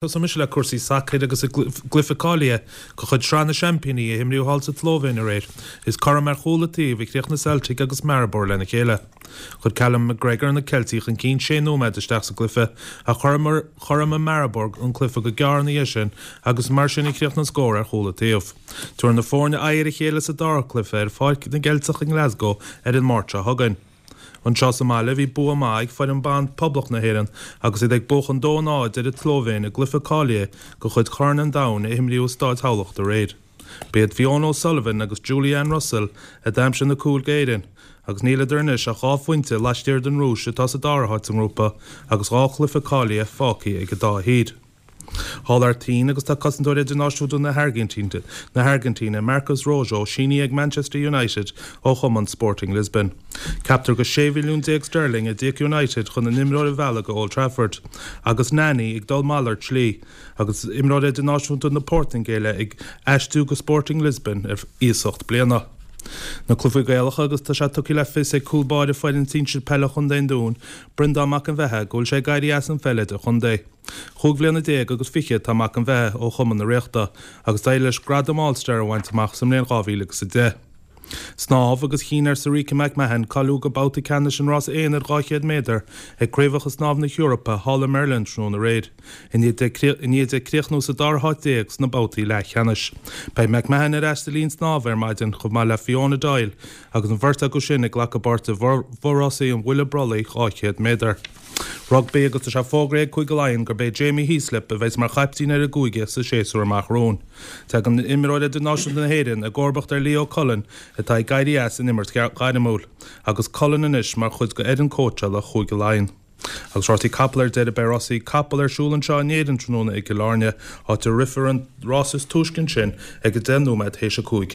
Tosóidh mise le cúrsaí sacair agus i gcluiche cáilithe de chuid Shraith na Seaimpíní a imríodh thall sa tSlóivéin aréir, is cothrom ar chúl an taobh a chríochnaigh Celtic agus Maribor lena chéile. Chuir Callum McGregor na Ceiltigh chun cinn sé nóiméad isteach sa gcluiche ach chothromaigh Maribor an cluiche go gearr ina dhiaidh sin agus mar sin a chríochnaigh an scór ar chúl an taobh. Tabharfaidh na foirne aghaidh ar a chéile sa dara cluiche ar Pháirc na gCeilteach i nGlasgow ar an Máirt seo chugainn. Anseo sa mbaile bhí bua maith ag foireann ban Poblacht na hÉireann agus iad ag buachan 2-0 ar an tSlóivéin i gcluiche cáilithe de chuid Chorn an Domhain a imríodh i Stáid Thamhlacht aréir. B'iad Fiona O'Sullivan agus Julie-Ann Russell a d'aimsigh na cúil d'Éirinn agus níl idir anois ach 2 phointe laistiar den Rúis atá sa dara háit sa ngrúpa agus 2 chluiche cáilithe fágtha ag an dá thír. Thall thar toinn agus tá cosantóir idirnáisiúnta na hAirgintíne, Marcos Rojo, sínithe ag Manchester United ó chumann Sporting Lisbon. Ceaptar gur 16 mhilliún sterling a d'íoc United chun an imreoir a mhealladh go Old Trafford, agus Nani ag dul malairt slí, agus imreoir idirnáisiúnta na Portaingéile ag aistriú go Sporting Lisbon ar iasacht bliana. Na cluichí Gaelacha agus tá sé tugtha le fios ag cúl báire foireann sinsir peile Chontae an Dúin, Breandán Mac an Bheatha, go bhfuil sé ag éirí as an pheil idir-chontae. 25 bhliana agus atá Mac an Bheatha ó Chumann na Ríochta agus d'éirigh leis gradam All Star a bhaint amach sa mbliain 2010. Snámh agus chinn ar Sorika McMahon cáiliú go babhta ceannais an rása aonair 200 méadar ag Craobhacha Snámha na hEorpa thall i mBeirlin tráthnóna aréir, i ndiaidh di críochnú sa dara háit sna babhtaí leathcheannais. Beidh McMahon ar ais sa linn snámha ar maidin chomh maith le Fiona Doyle agus an bheirt acu sin ag glacadh páirte i bhfo-rásaí an bhuille brollaigh 200 méadar. Rugbaí agus tá sé fógraithe ag Cúige Laighean gurb é Jamie Heaslip a bheas mar chaiptín ar an gcúige sa séasúr amach romhainn. Tagann imreoir idirnáisiúnta na hÉireann i gcomharbacht ar Leo Cullen atá ag éirí as an imirt ghairmiúil, agus Cullen anois mar chuid de fhoireann cóitseála Chúige Laighean. Agus rásaí capall ar deireadh beidh rásaí capall ar siúl anseo in Éirinn tráthnóna i gCill Airne, áit a rithfear an rás is túisce ansin ag 10 nóiméad théis a 5.